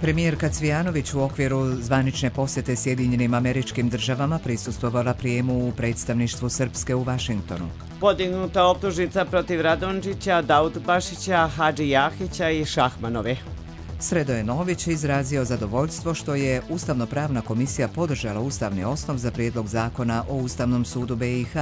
Premijerka Cvijanović u okviru zvanične posjete Sjedinjenim Američkim Državama prisustvovala prijemu u predstavništvu Srpske u Vašingtonu. Podignuta optužnica protiv Radončića, Daudbašića, Hadži Jahića i Šahmanove. Sredoje Nović izrazio zadovoljstvo što je Ustavno-pravna komisija podržala ustavni osnov za prijedlog zakona o Ustavnom sudu BiH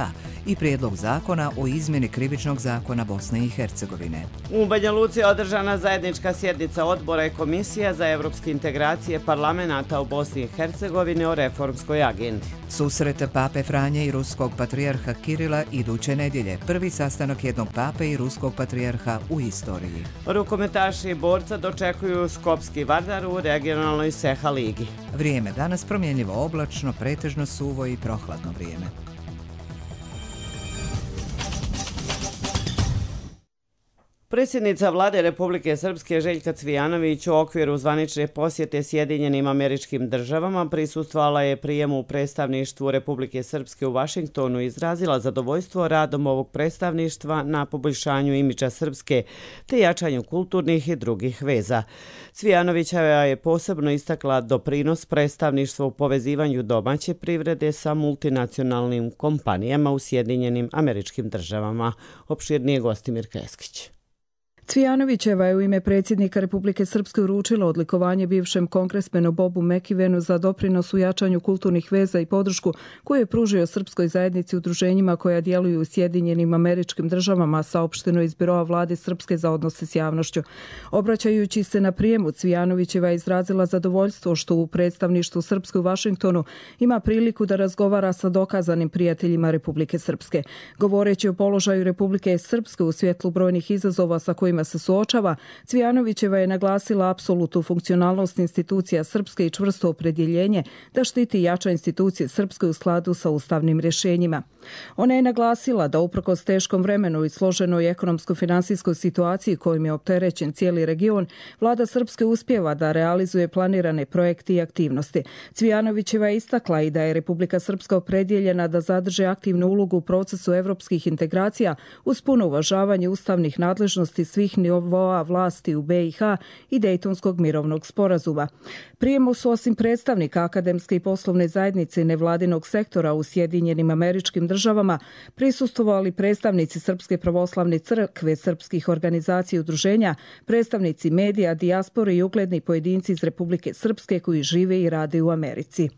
i prijedlog zakona o izmjeni krivičnog zakona Bosne i Hercegovine. U Banja Luci je održana zajednička sjednica odbora i komisija za evropske integracije parlamenata u Bosni i Hercegovini o reformskoj agendi. Susret Pape Franje i ruskog patrijarha Kirila iduće nedjelje, prvi sastanak jednog pape i ruskog patrijarha u istoriji. Rukometaši borca dočekuju Skopski Vardar u regionalnoj Seha ligi. Vrijeme danas promjenljivo oblačno, pretežno suvo i prohladno vrijeme. Predsjednica vlade Republike Srpske Željka Cvijanović u okviru zvanične posjete Sjedinjenim Američkim Državama prisustvovala je prijemu u predstavništvu Republike Srpske u Vašingtonu i izrazila zadovoljstvo radom ovog predstavništva na poboljšanju imidža Srpske te jačanju kulturnih i drugih veza. Cvijanovićeva je posebno istakla doprinos predstavništva u povezivanju domaće privrede sa multinacionalnim kompanijama u Sjedinjenim Američkim Državama. Opširnije Gostimir Keskić. Cvijanovićeva je u ime predsjednika Republike Srpske uručila odlikovanje bivšem kongresmenu Bobu Mekivenu za doprinos u jačanju kulturnih veza i podršku koju je pružio srpskoj zajednici udruženjima koja djeluju u Sjedinjenim Američkim Državama, saopšteno iz Biroa vlade Srpske za odnose s javnošću. Obraćajući se na prijemu, Cvijanovićeva je izrazila zadovoljstvo što u predstavništvu Srpske u Vašingtonu ima priliku da razgovara sa dokazanim prijateljima Republike Srpske. Govoreći o položaju Republike Srpske u svjetlu brojnih izazova sa kojima se suočava, Cvijanovićeva je naglasila apsolutnu funkcionalnost institucija Srpske i čvrsto opredjeljenje da štiti i jača institucije Srpske u skladu sa ustavnim rješenjima. Ona je naglasila da uprkos teškom vremenu i složenoj ekonomsko-finansijskoj situaciji kojim je opterećen cijeli region, vlada Srpske uspijeva da realizuje planirane projekte i aktivnosti. Cvijanovićeva je istakla i da je Republika Srpska opredjeljena da zadrže aktivnu ulogu u procesu evropskih integracija uz puno uvažavanje ustavnih nadležnosti svih nivoa vlasti u BiH i Dejtonskog mirovnog sporazuma. Prijemu su osim predstavnika akademske i poslovne zajednice i nevladinog sektora u Sjedinjenim Američkim Državama prisustvovali predstavnici Srpske pravoslavne crkve, srpskih organizacija i udruženja, predstavnici medija, dijaspore i ugledni pojedinci iz Republike Srpske koji žive i rade u Americi.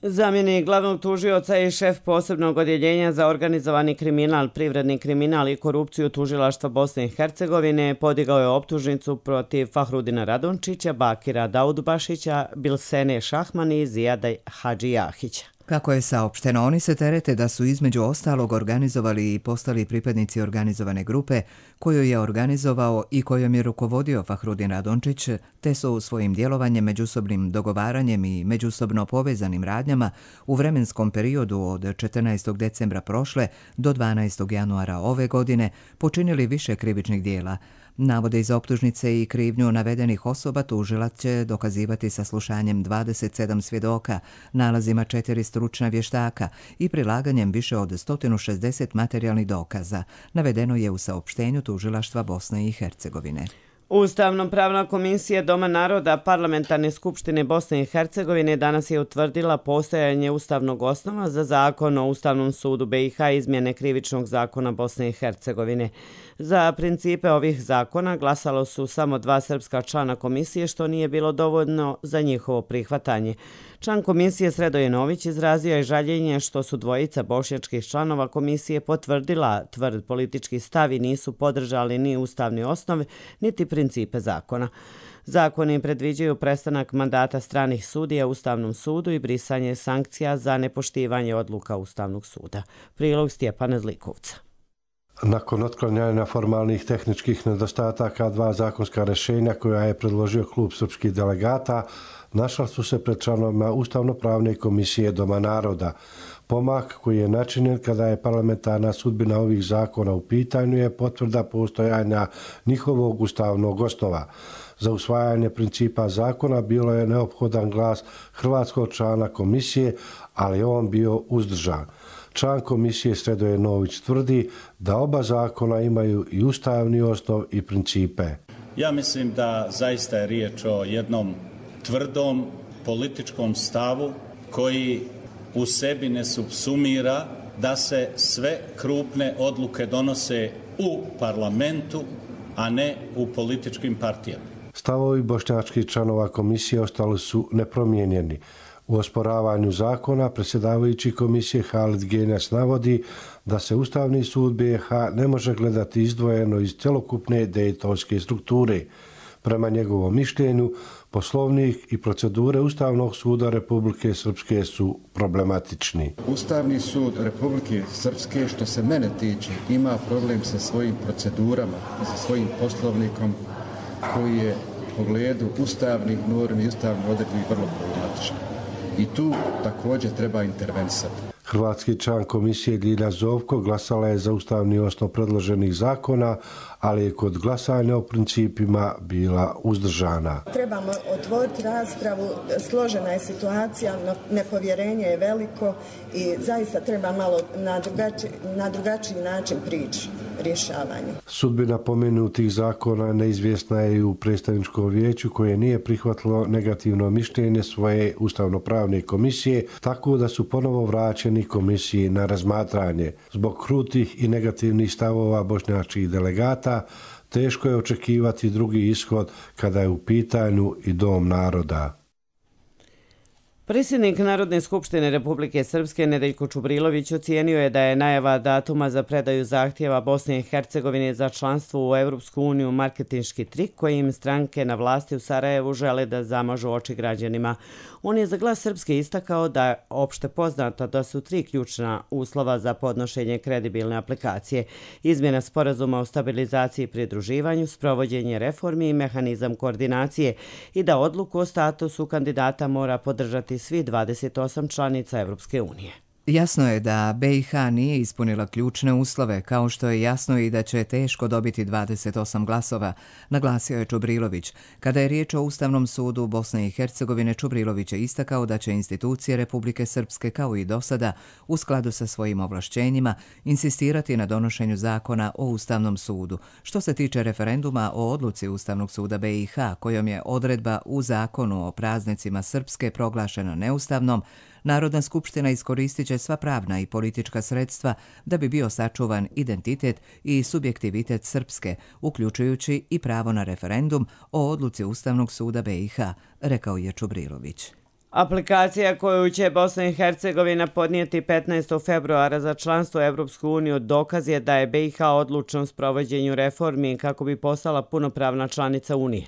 Zamjenik glavnog tužioca i šef posebnog odjeljenja za organizovani kriminal, privredni kriminal i korupciju tužilaštva Bosne i Hercegovine podigao je optužnicu protiv Fahrudina Radončića, Bakira Daudbašića, Bilsene Šahmani i Zijada Hadži Jahića. Kako je saopšteno, oni se terete da su između ostalog organizovali i postali pripadnici organizovane grupe koju je organizovao i kojom je rukovodio Fahrudin Radončić, te su svojim djelovanjem, međusobnim dogovaranjem i međusobno povezanim radnjama u vremenskom periodu od 14. decembra prošle do 12. januara ove godine počinili više krivičnih dijela. Navode iz optužnice i krivnju navedenih osoba tužilac će dokazivati saslušanjem 27 svjedoka, nalazima 4 stručna vještaka i prilaganjem više od 160 materijalnih dokaza, navedeno je u saopštenju tužilaštva Bosne i Hercegovine. Ustavno-pravna komisija Doma naroda Parlamentarne skupštine Bosne i Hercegovine danas je utvrdila postojanje ustavnog osnova za zakon o Ustavnom sudu BiH izmjene krivičnog zakona Bosne i Hercegovine. Za principe ovih zakona glasalo su samo 2 srpska člana komisije, što nije bilo dovoljno za njihovo prihvatanje. Član komisije Sredoje Nović izrazio je žaljenje što su dvojica bošnjačkih članova komisije potvrdila tvrd politički stav i nisu podržali ni ustavni osnov, niti principe zakona. Zakoni predviđaju prestanak mandata stranih sudija u Ustavnom sudu i brisanje sankcija za nepoštivanje odluka Ustavnog suda. Prilog Stjepana Zlikovca. Nakon otklanjanja formalnih tehničkih nedostataka, 2 zakonska rješenja koja je predložio klub srpskih delegata našla su se pred članovima Ustavno-pravne komisije Doma naroda. Pomak koji je načinjen kada je parlamentarna sudbina ovih zakona u pitanju je potvrda postojanja njihovog ustavnog osnova. Za usvajanje principa zakona bilo je neophodan glas hrvatskog člana komisije, ali on bio uzdržan. Član komisije Sredoje Nović tvrdi da oba zakona imaju i ustavni osnov i principe. Ja mislim da zaista je riječ o jednom tvrdom političkom stavu koji u sebi ne subsumira da se sve krupne odluke donose u parlamentu, a ne u političkim partijama. Stavovi bošnjačkih članova komisije ostali su nepromijenjeni. U osporavanju zakona predsjedavajući komisije Halid Genjas navodi da se Ustavni sud BiH ne može gledati izdvojeno iz cjelokupne dejtonske strukture. Prema njegovom mišljenju, poslovnik i procedure Ustavnog suda Republike Srpske su problematični. Ustavni sud Republike Srpske, što se mene tiče, ima problem sa svojim procedurama i sa svojim poslovnikom koji je u pogledu ustavnih normi i ustavnih odredbi vrlo problematičan. I tu također treba intervenisati. Hrvatski član komisije Ljilja Zovko glasala je za ustavni osnov predloženih zakona, ali je kod glasanja o principima bila uzdržana. Trebamo otvoriti raspravu, složena je situacija, nepovjerenje je veliko i zaista treba malo na drugačiji način prići rješavanju. Sudbina pomenutih zakona neizvjesna je i u predstavničkom vijeću koje nije prihvatilo negativno mišljenje svoje ustavnopravne komisije, tako da su ponovo vraćeni komisiji na razmatranje. Zbog krutih i negativnih stavova bošnjačkih delegata teško je očekivati drugi ishod kada je u pitanju i Dom naroda. Predsjednik Narodne skupštine Republike Srpske Nedeljko Čubrilović ocijenio je da je najava datuma za predaju zahtjeva Bosne i Hercegovine za članstvo u Europsku uniju marketinški trik kojim stranke na vlasti u Sarajevu žele da zamažu oči građanima. On je za Glas Srpske istakao da je opšte poznato da su 3 ključna uslova za podnošenje kredibilne aplikacije: izmjena sporazuma o stabilizaciji i pridruživanju, sprovođenje reformi i mehanizam koordinacije, i da odluku o statusu kandidata mora podržati svi 28 članica Evropske unije. Jasno je da BiH nije ispunila ključne uslove, kao što je jasno i da će teško dobiti 28 glasova, naglasio je Čubrilović. Kada je riječ o Ustavnom sudu Bosne i Hercegovine, Čubrilović je istakao da će institucije Republike Srpske, kao i dosada, u skladu sa svojim ovlašćenjima, insistirati na donošenju zakona o Ustavnom sudu. Što se tiče referenduma o odluci Ustavnog suda BiH, kojom je odredba u zakonu o praznicima Srpske proglašena neustavnom, Narodna skupština iskoristit će sva pravna i politička sredstva da bi bio sačuvan identitet i subjektivitet Srpske, uključujući i pravo na referendum o odluci Ustavnog suda BiH, rekao je Čubrilović. Aplikacija koju će Bosna i Hercegovina podnijeti 15. februara za članstvo u Evropsku uniju dokaz je da je BiH odlučna u sprovođenju reformi kako bi postala punopravna članica Unije.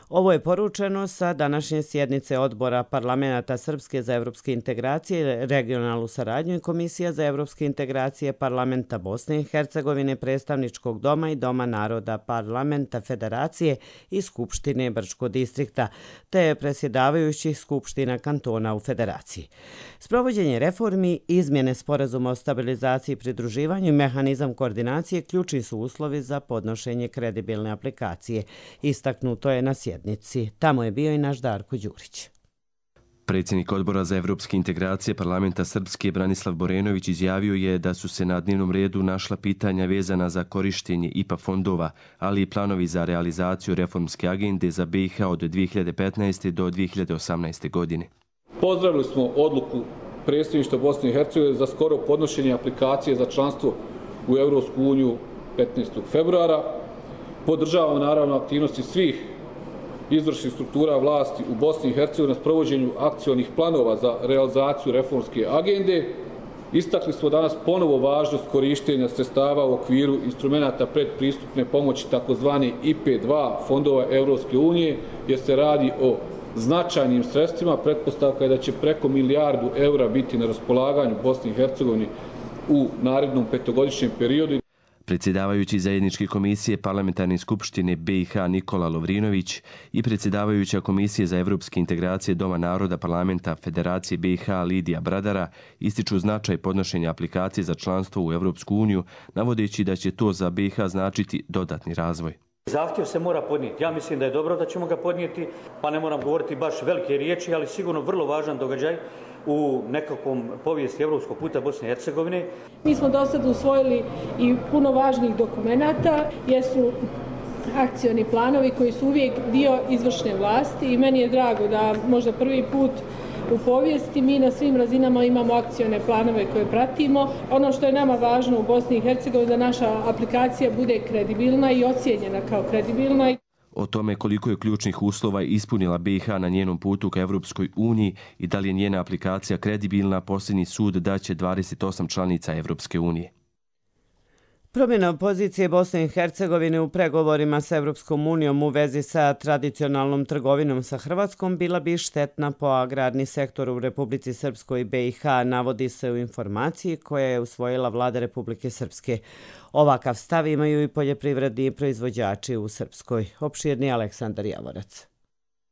Ovo je poručeno sa današnje sjednice Odbora parlamenta Srpske za evropske integracije, regionalnu saradnju i Komisija za evropske integracije parlamenta Bosne i Hercegovine, predstavničkog doma i Doma naroda parlamenta Federacije i Skupštine Brčkog distrikta, te predsjedavajućih skupština kantona u Federaciji. Sprovođenje reformi, izmjene sporazuma o stabilizaciji i pridruživanju i mehanizam koordinacije ključni su uslovi za podnošenje kredibilne aplikacije. Istaknuto je na sjednici. Tamo je bio i naš Darko Đurić. Predsjednik Odbora za evropske integracije parlamenta Srpske Branislav Borenović izjavio je da su se na dnevnom redu našla pitanja vezana za korištenje IPA fondova, ali i planovi za realizaciju reformske agende za BiH od 2015. do 2018. godine. Pozdravili smo odluku predsjedništva Bosne i Hercegovine za skoro podnošenje aplikacije za članstvo u Evropsku uniju 15. februara. Podržavamo naravno aktivnosti svih izvršnih struktura vlasti u Bosni i Hercegovini na sprovođenju akcionih planova za realizaciju reformske agende. Istakli smo danas ponovo važnost korištenja sredstava u okviru instrumenta predpristupne pomoći takozvani IP2 fondova Evropske unije, jer se radi o značajnim sredstvima. Pretpostavka je da će preko €1 milijardu biti na raspolaganju Bosni i Hercegovini u narednom 5-godišnjem periodu. Predsjedavajući zajedničke komisije parlamentarne skupštine BiH Nikola Lovrinović i predsjedavajuća komisije za evropske integracije Doma naroda parlamenta Federacije BiH Lidija Bradara ističu značaj podnošenja aplikacije za članstvo u Evropsku uniju, navodeći da će to za BiH značiti dodatni razvoj. Zahtjev se mora podnijeti. Ja mislim da je dobro da ćemo ga podnijeti, pa ne moram govoriti baš velike riječi, ali sigurno vrlo važan događaj u nekakvom povijesti evropskog puta Bosne i Hercegovine. Mi smo do sada usvojili i puno važnih dokumenata, jesu akcioni planovi koji su uvijek dio izvršne vlasti i meni je drago da možda prvi put u povijesti mi na svim razinama imamo akcione planove koje pratimo. Ono što je nama važno u Bosni i Hercegovini da naša aplikacija bude kredibilna i ocijenjena kao kredibilna. O tome koliko je ključnih uslova ispunila BiH na njenom putu ka Evropskoj uniji i da li je njena aplikacija kredibilna, posljednji sud daće 28 članica Evropske unije. Promjena pozicije Bosne i Hercegovine u pregovorima sa Evropskom unijom u vezi sa tradicionalnom trgovinom sa Hrvatskom bila bi štetna po agrarni sektor u Republici Srpskoj i BiH, navodi se u informaciji koja je usvojila vlada Republike Srpske. Ovakav stav imaju i poljoprivredni proizvođači u Srpskoj. Opširni Aleksandar Javorac.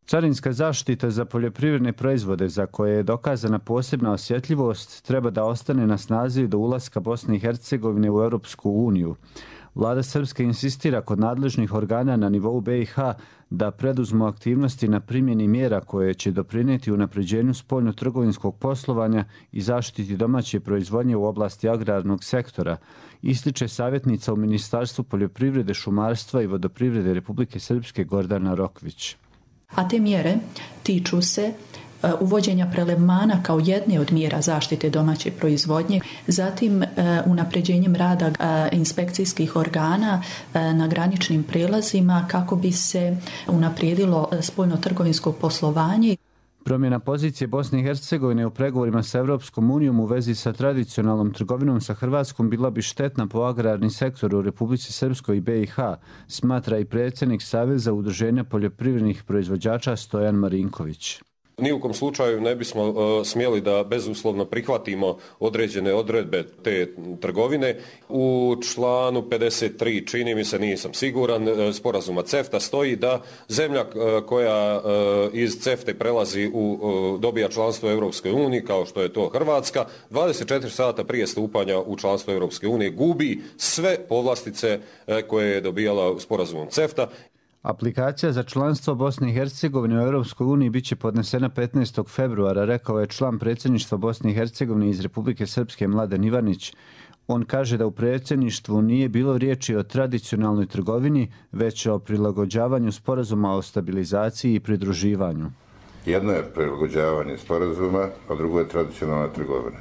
Carinska zaštita za poljoprivredne proizvode za koje je dokazana posebna osjetljivost treba da ostane na snazi do ulaska Bosne i Hercegovine u Europsku uniju. Vlada Srpske insistira kod nadležnih organa na nivou BiH da preduzmu aktivnosti na primjeni mjera koje će doprinijeti unapređenju spoljno-trgovinskog poslovanja i zaštiti domaće proizvodnje u oblasti agrarnog sektora, ističe savjetnica u Ministarstvu poljoprivrede, šumarstva i vodoprivrede Republike Srpske Gordana Rokvić. A te mjere tiču se uvođenja prelevmana kao jedne od mjera zaštite domaće proizvodnje, zatim unapređenjem rada inspekcijskih organa na graničnim prijelazima kako bi se unaprijedilo spoljno-trgovinsko poslovanje. Promjena pozicije Bosne i Hercegovine u pregovorima sa Evropskom unijom u vezi sa tradicionalnom trgovinom sa Hrvatskom bila bi štetna po agrarni sektor u Republici Srpskoj i BiH, smatra i predsjednik Saveza udruženja poljoprivrednih proizvođača Stojan Marinković. Ni u kom slučaju ne bismo smjeli da bezuslovno prihvatimo određene odredbe te trgovine. U članu 53, čini mi se, nisam siguran, sporazuma CEFTA stoji da zemlja koja iz CEFTA prelazi dobija članstvo Europskoj uniji, kao što je to Hrvatska, 24 sata prije stupanja u članstvo Europske unije gubi sve povlastice koje je dobijala sporazumom CEFTA. Aplikacija za članstvo Bosne i Hercegovine u Europskoj uniji biće podnesena 15. februara, rekao je član predsjedništva Bosne i Hercegovine iz Republike Srpske Mladen Ivanić. On kaže da u predsjedništvu nije bilo riječi o tradicionalnoj trgovini, već o prilagođavanju sporazuma o stabilizaciji i pridruživanju. Jedno je prilagođavanje sporazuma, a drugo je tradicionalna trgovina.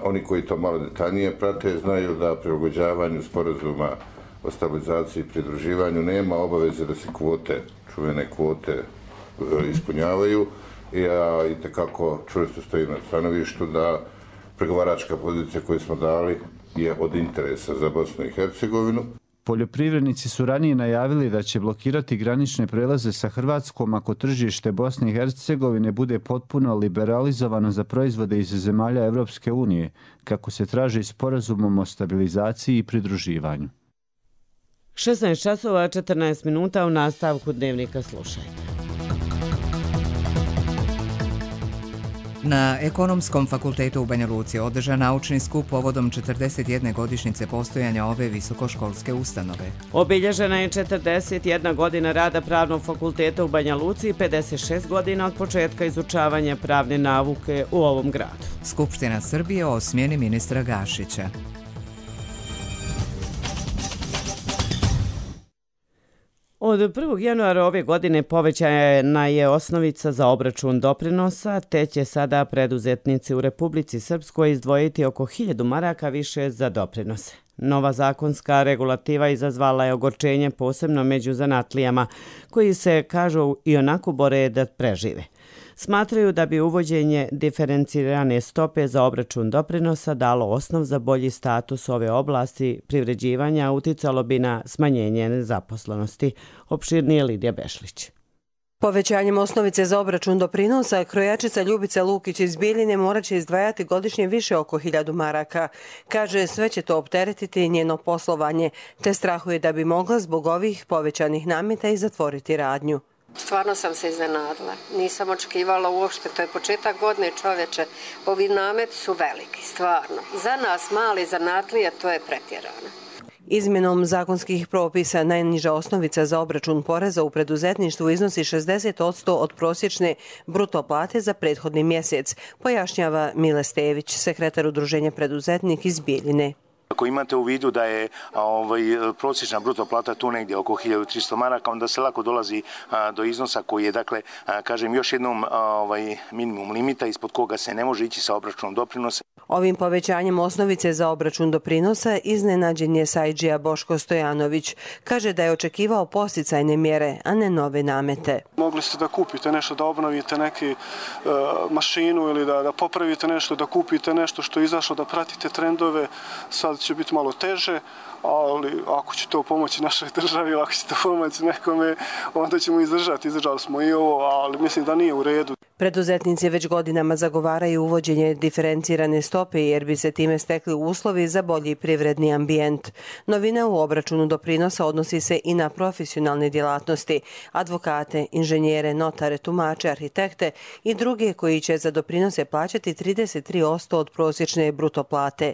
Oni koji to malo detaljnije prate znaju da prilagođavanju sporazuma o stabilizaciji i pridruživanju nema obaveze da se čuvene kvote ispunjavaju. Ja itekako čvrsto stojim na stanovištu da pregovaračka pozicija koju smo dali je od interesa za Bosnu i Hercegovinu. Poljoprivrednici su ranije najavili da će blokirati granične prelaze sa Hrvatskom ako tržište Bosne i Hercegovine bude potpuno liberalizovano za proizvode iz zemalja Evropske unije, kako se traži sporazumom o stabilizaciji i pridruživanju. 16 časova 14 minuta u nastavku dnevnika slušajte. Na Ekonomskom fakultetu u Banja Luci održan naučni skup povodom 41. godišnjice postojanja ove visokoškolske ustanove. Obilježena je 41 godina rada Pravnog fakulteta u Banja Luci i 56 godina od početka izučavanja pravne nauke u ovom gradu. Skupština Srbije o smjeni ministra Gašića. Od 1. januara ove godine povećana je osnovica za obračun doprinosa, te će sada preduzetnici u Republici Srpskoj izdvojiti oko 1000 maraka više za doprinose. Nova zakonska regulativa izazvala je ogorčenje posebno među zanatlijama, koji se, kažu, i onako bore da prežive. Smatraju da bi uvođenje diferencirane stope za obračun doprinosa dalo osnov za bolji status ove oblasti privređivanja, uticalo bi na smanjenje nezaposlenosti. Opširnije Lidija Bešlić. Povećanjem osnovice za obračun doprinosa, krojačica Ljubica Lukić iz Bijeljine morat će izdvajati godišnje više oko 1000 maraka. Kaže, sve će to opteretiti njeno poslovanje, te strahuje da bi mogla zbog ovih povećanih nameta i zatvoriti radnju. Stvarno sam se iznenadila. Nisam očekivala uopšte. To je početak godine, čovječe. Ovi nameti su veliki, stvarno. Za nas mali zanatlije to je pretjerano. Izmjenom zakonskih propisa najniža osnovica za obračun poreza u preduzetništvu iznosi 60% od prosječne bruto plate za prethodni mjesec, pojašnjava Mile Stević, sekretar Udruženja preduzetnik iz Bijeljine. Ako imate u vidu da je prosječna bruto plata tu negdje oko 1300 maraka, onda se lako dolazi do iznosa koji je, dakle, kažem još jednom minimum limita ispod koga se ne može ići sa obračunom doprinosa. Ovim povećanjem osnovice za obračun doprinosa iznenađen je sajđija Boško Stojanović. Kaže da je očekivao posticajne mjere, a ne nove namete. Mogli ste da kupite nešto, da obnovite neku mašinu ili da popravite nešto, da kupite nešto što je izašlo, da pratite trendove. Sad će biti malo teže, ali ako će to pomoći našoj državi ili ako će to pomoći nekome, onda ćemo izdržati. Izdržali smo i ovo, ali mislim da nije u redu. Preduzetnici već godinama zagovaraju uvođenje diferencirane stope jer bi se time stekli uslovi za bolji privredni ambijent. Novina u obračunu doprinosa odnosi se i na profesionalne djelatnosti, advokate, inženjere, notare, tumače, arhitekte i druge koji će za doprinose plaćati 33% od prosječne bruto plate.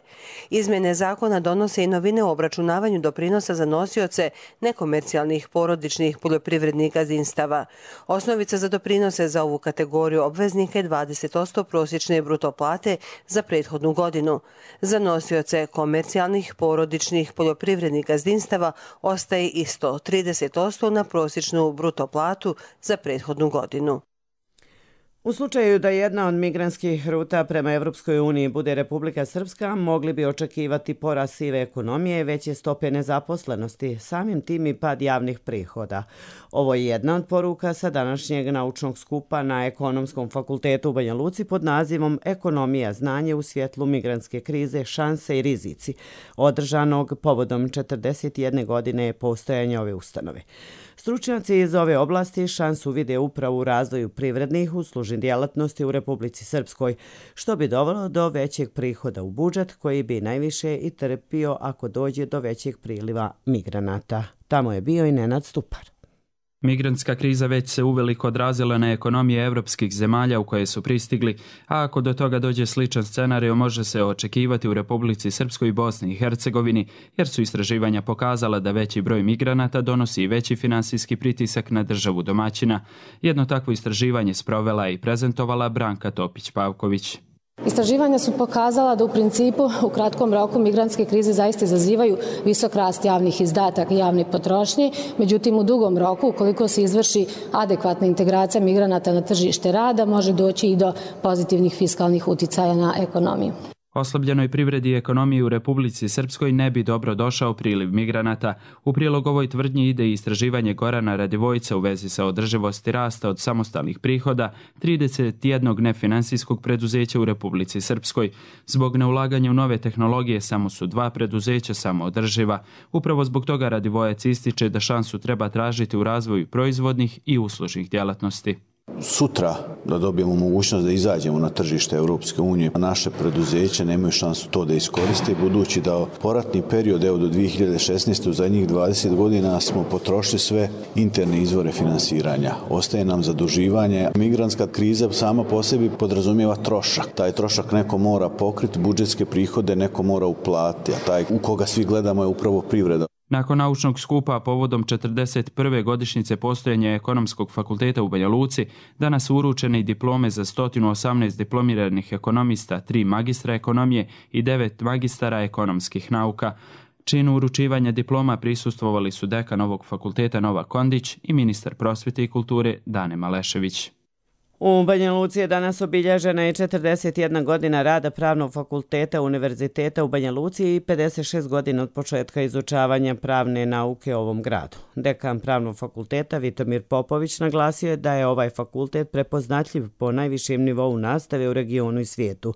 Izmjene zakona donose i novine u obračunavanju doprinosa za nosioce nekomercijalnih porodičnih poljoprivrednih gazdinstava. Osnovica za doprinose za ovu kategoriju obveznika je 20% prosječne bruto plate za prethodnu godinu. Za nosioce komercijalnih porodičnih poljoprivrednih gazdinstava ostaje isto 30% na prosječnu bruto platu za prethodnu godinu. U slučaju da jedna od migrantskih ruta prema Evropskoj uniji bude Republika Srpska, mogli bi očekivati porast sive ekonomije i veće stope nezaposlenosti, samim tim i pad javnih prihoda. Ovo je jedna od poruka sa današnjeg naučnog skupa na Ekonomskom fakultetu u Banja Luci pod nazivom Ekonomija znanje u svjetlu migrantske krize, šanse i rizici, održanog povodom 41 godine postojanja ove ustanove. Stručnjaci iz ove oblasti šansu vide upravo u razvoju privrednih uslužnih djelatnosti u Republici Srpskoj, što bi dovelo do većeg prihoda u budžet koji bi najviše i trpio ako dođe do većeg priliva migranata. Tamo je bio i Nenad Stupar. Migrantska kriza već se uveliko odrazila na ekonomije evropskih zemalja u koje su pristigli, a ako do toga dođe sličan scenarij može se očekivati u Republici Srpskoj i Bosni i Hercegovini, jer su istraživanja pokazala da veći broj migranata donosi veći finansijski pritisak na državu domaćina. Jedno takvo istraživanje sprovela i prezentovala Branka Topić-Pavković. Istraživanja su pokazala da u principu u kratkom roku migrantske krize zaista izazivaju visok rast javnih izdataka i javne potrošnje, međutim u dugom roku, ukoliko se izvrši adekvatna integracija migranata na tržište rada, može doći i do pozitivnih fiskalnih uticaja na ekonomiju. Oslabljenoj privredi i ekonomiji u Republici Srpskoj ne bi dobro došao priliv migranata. U prilog ovoj tvrdnji ide i istraživanje Gorana Radivojca u vezi sa održivosti rasta od samostalnih prihoda 31 nefinansijskog preduzeća u Republici Srpskoj. Zbog neulaganja u nove tehnologije samo su 2 preduzeća samoodrživa. Upravo zbog toga Radivojac ističe da šansu treba tražiti u razvoju proizvodnih i uslužnih djelatnosti. Sutra da dobijemo mogućnost da izađemo na tržište Europske unije, naše preduzeće nemaju šansu to da iskoriste, budući da poratni period do 2016. u zadnjih 20 godina smo potrošili sve interne izvore finansiranja. Ostaje nam zaduživanje. Migrantska kriza sama po sebi podrazumijeva trošak. Taj trošak neko mora pokriti, budžetske prihode neko mora uplatiti, a taj u koga svi gledamo je upravo privreda. Nakon naučnog skupa povodom 41. godišnjice postojanja Ekonomskog fakulteta u Banja Luci, danas su uručene i diplome za 118 diplomiranih ekonomista, 3 magistra ekonomije i 9 magistara ekonomskih nauka. Činu uručivanja diploma prisustvovali su dekan ovog fakulteta Nova Kondić i ministar prosvjete i kulture Dane Malešević. U Banja Luci je danas obilježena i 41 godina rada Pravnog fakulteta Univerziteta u Banja Luci i 56 godina od početka izučavanja pravne nauke u ovom gradu. Dekan Pravnog fakulteta Vitomir Popović naglasio je da je ovaj fakultet prepoznatljiv po najvišem nivou nastave u regionu i svijetu.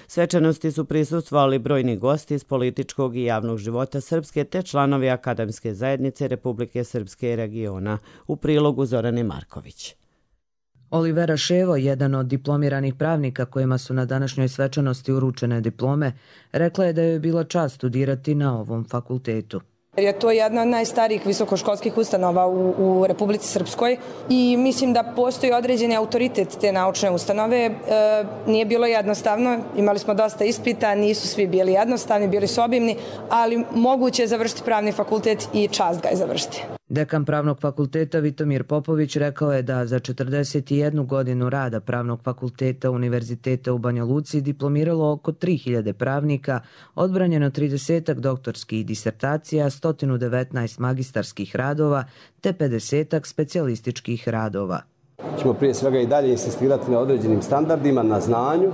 Svečanosti su prisustvovali brojni gosti iz političkog i javnog života Srpske te članovi Akademske zajednice Republike Srpske i regiona. U prilogu Zorane Marković. Olivera Ševo, jedan od diplomiranih pravnika kojima su na današnjoj svečanosti uručene diplome, rekla je da joj je bila čast studirati na ovom fakultetu. Je to jedna od najstarijih visokoškolskih ustanova u Republici Srpskoj i mislim da postoji određeni autoritet te naučne ustanove. Nije bilo jednostavno, imali smo dosta ispita, nisu svi bili jednostavni, bili su obimni, ali moguće je završiti pravni fakultet i čast ga je završiti. Dekan Pravnog fakulteta Vitomir Popović rekao je da za 41 godinu rada Pravnog fakulteta Univerziteta u Banja Luci diplomiralo oko 3000 pravnika, odbranjeno 30 doktorskih disertacija, 119 magistarskih radova te 50 specijalističkih radova. Ćemo prije svega i dalje insistirati na određenim standardima, na znanju,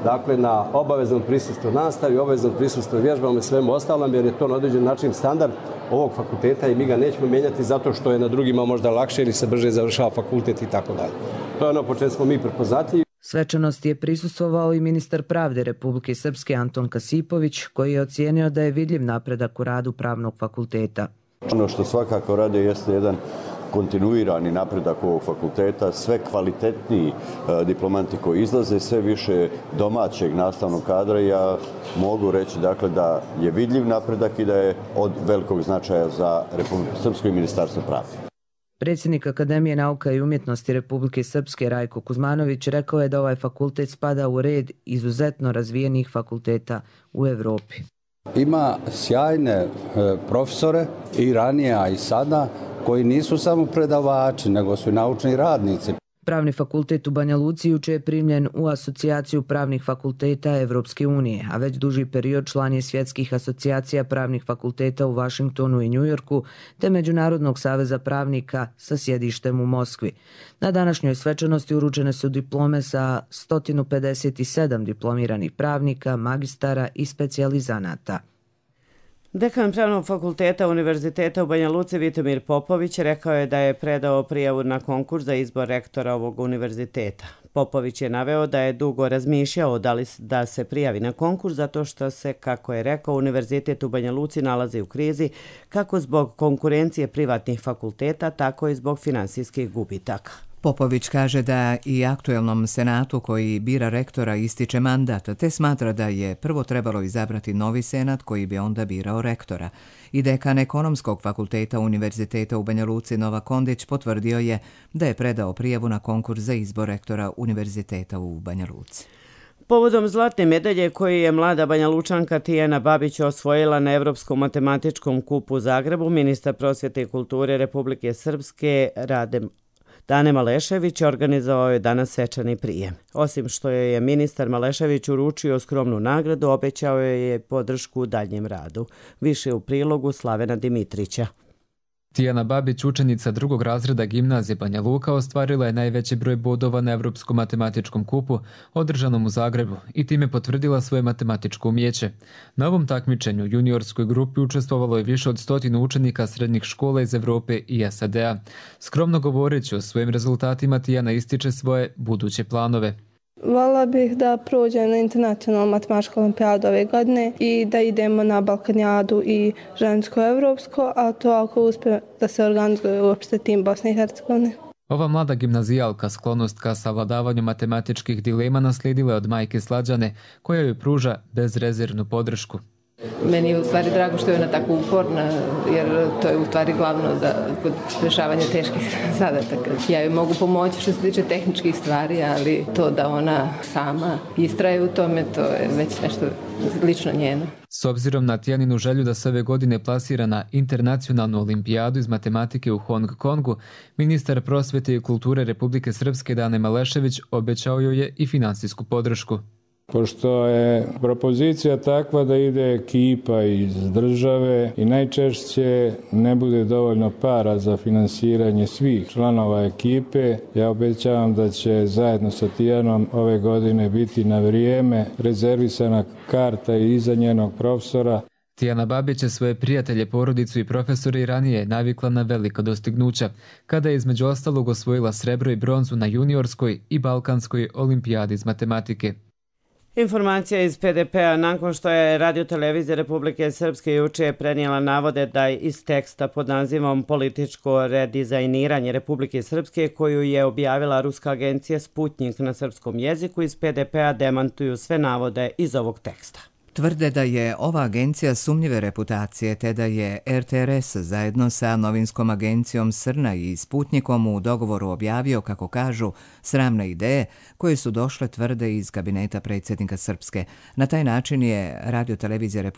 dakle na obaveznom prisustvu nastavi, obaveznom prisustvu vježbama i svemu ostalom, jer je to na određen način standard ovog fakulteta i mi ga nećemo mijenjati zato što je na drugima možda lakše ili se brže završava fakultet i tako dalje. To je ono po čemu smo mi prepoznatljivi. Svečanosti je prisustvovao i ministar pravde Republike Srpske Anton Kasipović, koji je ocijenio da je vidljiv napredak u radu Pravnog fakulteta. Ono što svakako radi jeste jedan kontinuirani napredak ovog fakulteta, sve kvalitetniji diplomanti koji izlaze, sve više domaćeg nastavnog kadra. Ja mogu reći dakle, da je vidljiv napredak i da je od velikog značaja za Republiku Srpsku i Ministarstvo pravde. Predsjednik Akademije nauka i umjetnosti Republike Srpske Rajko Kuzmanović rekao je da ovaj fakultet spada u red izuzetno razvijenih fakulteta u Evropi. Ima sjajne profesore i ranije, a i sada, koji nisu samo predavači, nego su i naučni radnici. Pravni fakultet u Banja Luci juče je primljen u asocijaciju pravnih fakulteta Evropske unije, a već duži period član je svjetskih asocijacija pravnih fakulteta u Vašingtonu i Njujorku, te Međunarodnog saveza pravnika sa sjedištem u Moskvi. Na današnjoj svečanosti uručene su diplome sa 157 diplomiranih pravnika, magistara i specijalizanata. Dekan Pravnog fakulteta Univerziteta u Banja Luci Vitomir Popović rekao je da je predao prijavu na konkurs za izbor rektora ovog univerziteta. Popović je naveo da je dugo razmišljao da se prijavi na konkurs zato što se, kako je rekao, Univerzitet u Banja Luci nalazi u krizi kako zbog konkurencije privatnih fakulteta, tako i zbog finansijskih gubitaka. Popović kaže da i aktuelnom senatu koji bira rektora ističe mandat, te smatra da je prvo trebalo izabrati novi senat koji bi onda birao rektora. I dekan Ekonomskog fakulteta Univerziteta u Banja Luci Nova Kondić potvrdio je da je predao prijavu na konkurs za izbor rektora Univerziteta u Banja Luci. Povodom zlatne medalje koju je mlada Banja Lučanka Tijana Babić osvojila na Evropskom matematičkom kupu u Zagrebu, ministar prosvjete i kulture Republike Srpske Dane Malešević organizovao je danas svečani prijem. Osim što joj je ministar Malešević uručio skromnu nagradu, obećao joj je podršku u daljem radu. Više u prilogu Slavena Dimitrića. Tijana Babić, učenica 2. razreda gimnazije Banja Luka, ostvarila je najveći broj bodova na Evropskom matematičkom kupu održanom u Zagrebu i time potvrdila svoje matematičko umjeće. Na ovom takmičenju juniorskoj grupi učestvovalo je više od 100 učenika srednjih škola iz Evrope i SAD-a. Skromno govoreći o svojim rezultatima, Tijana ističe svoje buduće planove. Voljela bih da prođem na internacionalnu matematičku olimpijadu ove godine i da idemo na Balkanijadu i žensko-evropsko, a to ako uspije da se organizuje uopšte tim Bosne i Hercegovine. Ova mlada gimnazijalka sklonost ka savladavanju matematičkih dilema naslijedila je od majke Slađane, koja joj pruža bezrezervnu podršku. Meni je u stvari drago što je ona tako uporna, jer to je u stvari glavno kod rješavanja teških zadataka. Ja joj mogu pomoći što se tiče tehničkih stvari, ali to da ona sama istraje u tome, to je već nešto lično njeno. S obzirom na Tijaninu želju da se ove godine plasira na internacionalnu olimpijadu iz matematike u Hong Kongu, ministar prosvjete i kulture Republike Srpske Dane Malešević obećao joj je i finansijsku podršku. Pošto je propozicija takva da ide ekipa iz države i najčešće ne bude dovoljno para za finansiranje svih članova ekipe, ja obećavam da će zajedno sa Tijanom ove godine biti na vrijeme rezervisana karta i iza njenog profesora. Tijana Babić je svoje prijatelje, porodicu i profesore i ranije navikla na velika dostignuća, kada je između ostalog osvojila srebro i bronzu na juniorskoj i balkanskoj olimpijadi iz matematike. Informacija iz PDP-a nakon što je Radio-televizija Republike Srpske juče prenijela navode da iz teksta pod nazivom Političko redizajniranje Republike Srpske koju je objavila ruska agencija Sputnik na srpskom jeziku, iz PDP-a demantuju sve navode iz ovog teksta. Tvrde da je ova agencija sumnjive reputacije te da je RTRS zajedno sa novinskom agencijom Srna i Sputnikom u dogovoru objavio, kako kažu, sramne ideje koje su došle, tvrde, iz kabineta predsjednika Srpske. Na taj način je radiotelevizija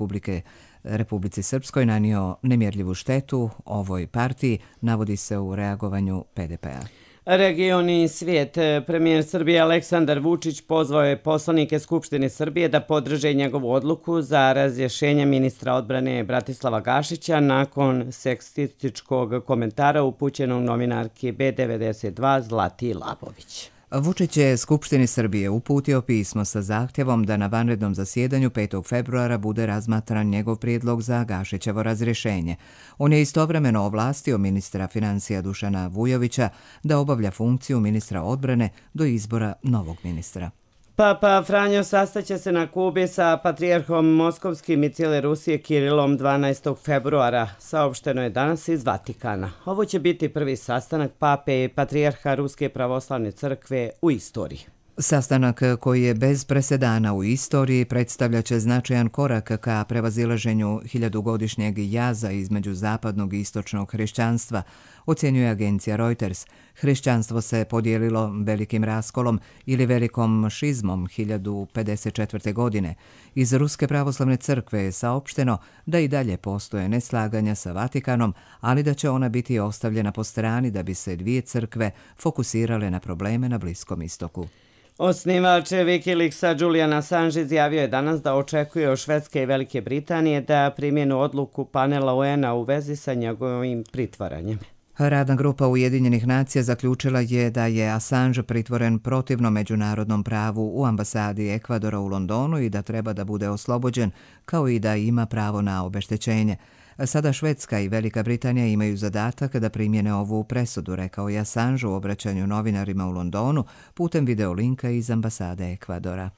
Republici Srpskoj nanio nemjerljivu štetu ovoj partiji, navodi se u reagovanju PDP-a. Region i svijet. Premijer Srbije Aleksandar Vučić pozvao je poslanike Skupštine Srbije da podrže njegovu odluku za razrješenje ministra odbrane Bratislava Gašića nakon seksističkog komentara upućenog novinarki B92 Zlati Labović. Vučić je Skupštini Srbije uputio pismo sa zahtjevom da na vanrednom zasjedanju 5. februara bude razmatran njegov prijedlog za Gašićevo razrješenje. On je istovremeno ovlastio ministra financija Dušana Vujovića da obavlja funkciju ministra odbrane do izbora novog ministra. Papa Franjo sastaće se na Kubi sa patrijarhom Moskovskim i cijele Rusije Kirilom 12. februara, saopšteno je danas iz Vatikana. Ovo će biti prvi sastanak pape i patrijarha Ruske pravoslavne crkve u istoriji. Sastanak koji je bez presedana u istoriji predstavljaće značajan korak ka prevazilaženju 1000-godišnjeg jaza između zapadnog i istočnog hrišćanstva, ocjenjuje agencija Reuters. Hrišćanstvo se podijelilo velikim raskolom ili velikom šizmom 1054. godine. Iz Ruske pravoslavne crkve je saopšteno da i dalje postoje neslaganja sa Vatikanom, ali da će ona biti ostavljena po strani da bi se dvije crkve fokusirale na probleme na Bliskom istoku. Osnivač Wikileaksa Julian Assange izjavio je danas da očekuje od Švedske i Velike Britanije da primjenu odluku panela UN-a u vezi sa njegovim pritvaranjem. Radna grupa Ujedinjenih nacija zaključila je da je Assange pritvoren protivno međunarodnom pravu u ambasadi Ekvadora u Londonu i da treba da bude oslobođen, kao i da ima pravo na obeštećenje. Sada Švedska i Velika Britanija imaju zadatak da primjene ovu presudu, rekao je Assange u obraćanju novinarima u Londonu putem videolinka iz ambasade Ekvadora.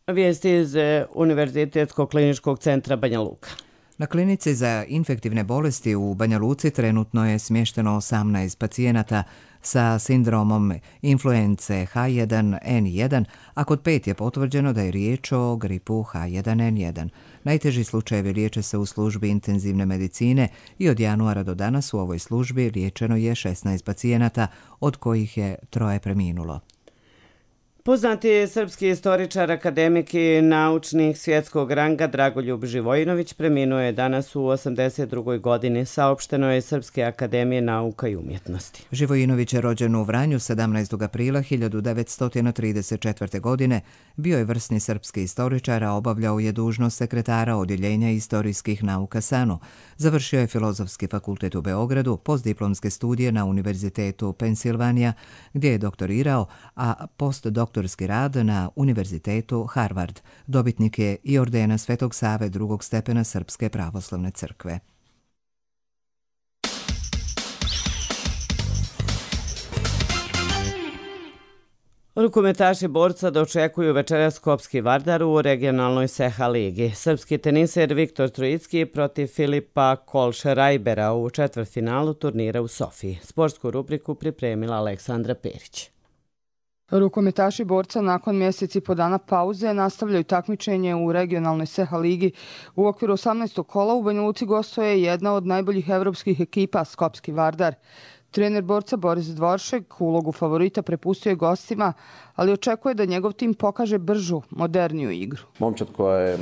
Vijesti iz Univerzitetskog kliničkog centra Banja Luka. Na klinici za infektivne bolesti u Banja Luci trenutno je smješteno 18 pacijenata sa sindromom influence H1N1, a kod 5 je potvrđeno da je riječ o gripu H1N1. Najteži slučajevi liječe se u službi intenzivne medicine i od januara do danas u ovoj službi liječeno je 16 pacijenata, od kojih je 3 preminulo. Poznati srpski istoričar, akademik i naučnik svjetskog ranga Dragoljub Živojinović preminuo je danas u 82. godini, saopšteno je Srpske akademije nauka i umjetnosti. Živojinović je rođen u Vranju 17. aprila 1934. godine, bio je vrsni srpski istoričar, a obavljao je dužnost sekretara Odjeljenja istorijskih nauka SANU. Završio je Filozofski fakultet u Beogradu, postdiplomske studije na Univerzitetu Pensilvanija, gdje je doktorirao, a postdoktorski rad na Univerzitetu Harvard. Dobitnik je i ordena Svetog Save drugog stepena Srpske pravoslavne crkve. Rukometaši borca dočekuju večeras Skopski Vardar u regionalnoj Seha ligi. Srpski teniser Viktor Trojicki protiv Filipa Kolšerajbera u četvrtfinalu turnira u Sofiji. Sportsku rubriku pripremila Aleksandra Perić. Rukometaši borca nakon mjeseci po dana pauze nastavljaju takmičenje u regionalnoj Seha ligi. U okviru 18. kola u Banja Luci gostuje jedna od najboljih evropskih ekipa Skopski Vardar. Trener borca Boris Dvoršek ulogu favorita prepustio je gostima, ali očekuje da njegov tim pokaže bržu, moderniju igru. Momčad koja je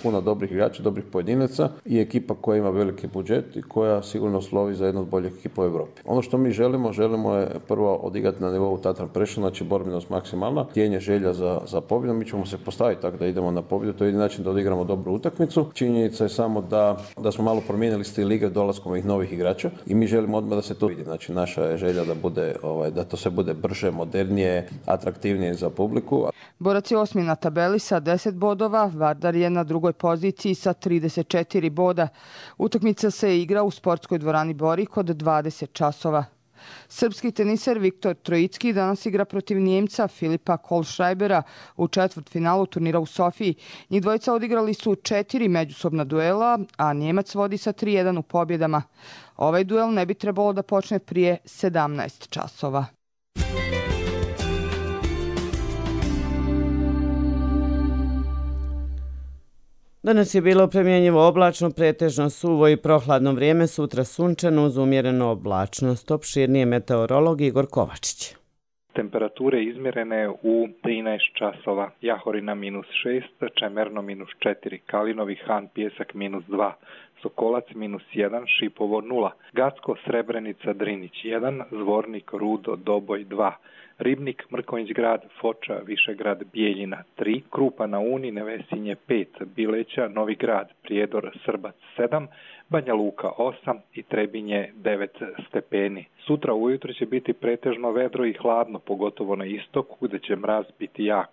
puna dobrih igrača, dobrih pojedinaca i ekipa koja ima veliki budžet i koja sigurno slovi za jednu od boljih ekipa u Evropi. Ono što mi želimo je prvo odigrati na nivou Tatra Prešov, znači borbenost maksimalna, htjenje želja za pobjedu. Mi ćemo se postaviti tako da idemo na pobjedu, to je jedini način da odigramo dobru utakmicu. Činjenica je samo da smo malo promijenili stil igre dolaskom ovih novih igrača i mi želimo odmah da se to vidi. Znači naša je želja da to sve bude brže, modernije, atraktivnije za publiku. Borac je 8. na tabeli sa 10 bodova, Vardar je na drugoj poziciji sa 34 boda. Utakmica se igra u sportskoj dvorani Borik od 20 časova. Srpski teniser Viktor Trojicki danas igra protiv Njemca Filipa Kolšrajbera u četvrtfinalu turnira u Sofiji. Njih dvojica odigrali su 4 međusobna duela, a Njemac vodi sa 3-1 u pobjedama. Ovaj duel ne bi trebalo da počne prije 17 časova. Danas je bilo promjenjivo oblačno, pretežno suvo i prohladno vrijeme, sutra sunčano uz umjerenu oblačnost. Opširnije meteorolog Igor Kovačić. Temperature izmjerene u 13 časova. Jahorina -6, Čemerno -4, Kalinovi Han Pjesak -2, Sokolac -1, Šipovo 0, Gacko, Srebrenica, Drinić 1, Zvornik, Rudo, Doboj 2, Ribnik, Mrkonjić grad, Foča, Višegrad, Bijeljina 3, Krupa na Uni, Nevesinje 5, Bileća, Novi grad, Prijedor, Srbac 7, Banja Luka 8 i Trebinje 9 stepeni. Sutra ujutro će biti pretežno vedro i hladno, pogotovo na istoku gdje će mraz biti jak.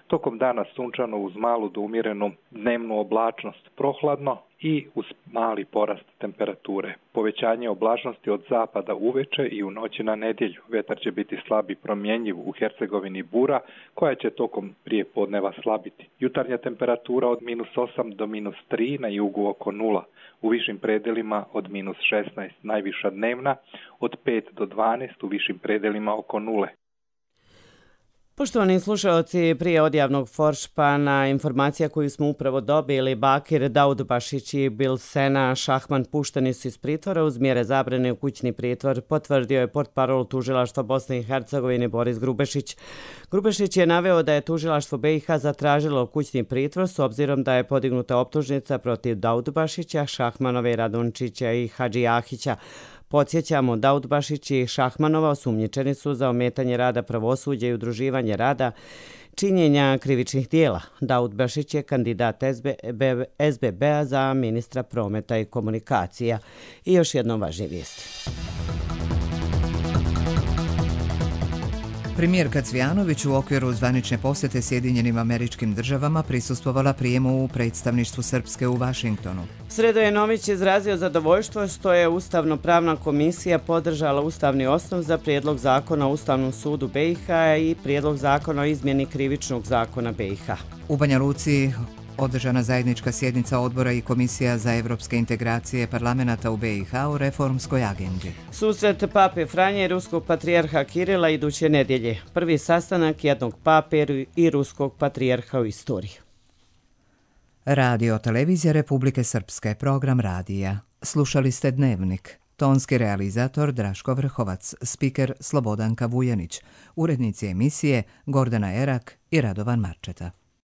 Tokom dana sunčano uz malu do umjerenu dnevnu oblačnost, prohladno i uz mali porast temperature. Povećanje oblačnosti od zapada uveče i u noći na nedjelju. Vetar će biti slab i promjenjiv u Hercegovini bura, koja će tokom prije podneva slabiti. Jutarnja temperatura od -8 do -3, na jugu oko 0. U višim predelima od -16, najviša dnevna, od 5 do 12, u višim predelima oko 0. Poštovani slušalci, prije odjavnog foršpana, informacija koju smo upravo dobili, Bakir Daudbašić i Bilsena Šahman pušteni su iz pritvora uz mjere zabrane u kućni pritvor, potvrdio je portparol tužilaštva Bosne i Hercegovine Boris Grubešić. Grubešić je naveo da je tužilaštvo BiH zatražilo kućni pritvor s obzirom da je podignuta optužnica protiv Daudbašića, Šahmanove, Radončića i Hadžijahića. Podsjećamo, Daudbašić i Šahmanova osumnjičeni su za ometanje rada pravosuđa i udruživanje rada, činjenja krivičnih dijela. Daudbašić je kandidat SBB-a za ministra prometa i komunikacija. I još jednom važnije vijesti. Premijerka Cvijanović u okviru zvanične posjete Sjedinjenim Američkim Državama prisustvovala prijemu u predstavništvu Srpske u Vašingtonu. Sredojenović izrazio zadovoljstvo što je Ustavno-pravna komisija podržala ustavni osnov za prijedlog zakona o Ustavnom sudu BiH i prijedlog zakona o izmjeni krivičnog zakona BiH. U Banja Luci održana zajednička sjednica odbora i komisija za evropske integracije parlamenata u BiH u reformskoj agendi. Susret pape Franje i ruskog patrijarha Kirila iduće nedjelje. Prvi sastanak jednog pape i ruskog patrijarha u istoriji. Radio Televizija Republike Srpske, program radija. Slušali ste Dnevnik. Tonski realizator Draško Vrhovac, spiker Slobodanka Vujanić, urednici emisije Gordana Erak i Radovan Marčeta.